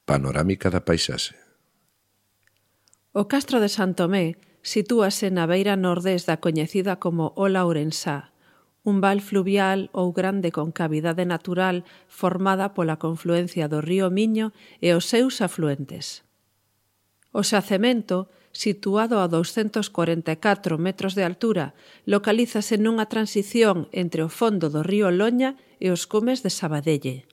Panorámica da paisaxe. O castro de San Tomé sitúase na beira nordés da coñecida como Ola Ourensá, un val fluvial ou grande concavidade natural formada pola confluencia do río Miño e os seus afluentes. O xacemento, situado a 244 metros de altura, localízase nunha transición entre o fondo do río Loña e os cumes de Sabadelle.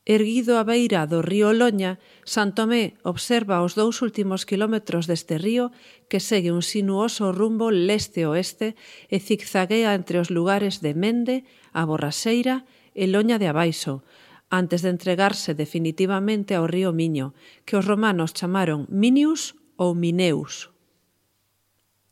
Erguido á beira do río Loña, San Tomé observa os 2 últimos quilómetros deste río que segue un sinuoso rumbo leste-oeste e zigzaguea entre os lugares de Mende, a Borraseira e Loña de Abaixo, antes de entregarse definitivamente ao río Miño, que os romanos chamaron Minius ou Mineus.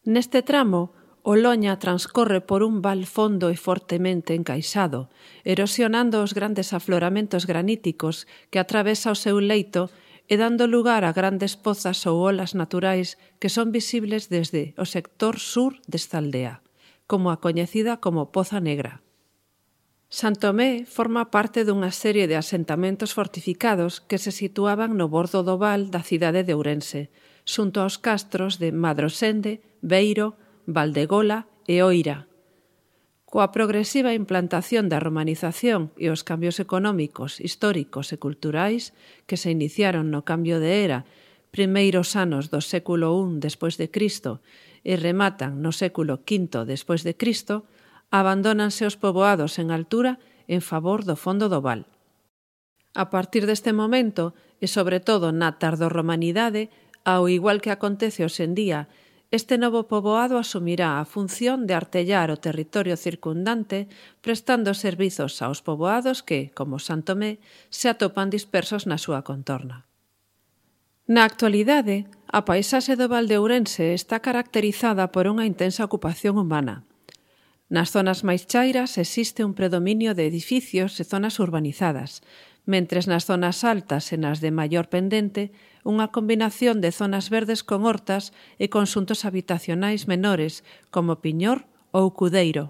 Neste tramo, o Loña transcorre por un val fondo e fortemente encaixado, erosionando os grandes afloramentos graníticos que atravesa o seu leito e dando lugar a grandes pozas ou olas naturais que son visibles desde o sector sur desta aldea, como a coñecida como Poza Negra. San Tomé forma parte dunha serie de asentamentos fortificados que se situaban no bordo do val da cidade de Ourense, xunto aos castros de Madrosende, Beiro, Valdegola e Oira. Coa progresiva implantación da romanización e os cambios económicos, históricos e culturais que se iniciaron no cambio de era, primeiros anos do século I despois de Cristo e rematan no século V despois de Cristo, abandónanse os poboados en altura en favor do fondo do val. A partir deste momento, e sobre todo na tardorromanidade, ao igual que acontece hoxe en día, este novo poboado asumirá a función de artellar o territorio circundante prestando servizos aos poboados que, como San Tomé, se atopan dispersos na súa contorna. Na actualidade, a paisaxe do Val de Ourense está caracterizada por unha intensa ocupación humana. Nas zonas máis chairas existe un predominio de edificios e zonas urbanizadas, mentres nas zonas altas e nas de maior pendente, unha combinación de zonas verdes con hortas e conxuntos habitacionais menores, como Piñor ou Cudeiro.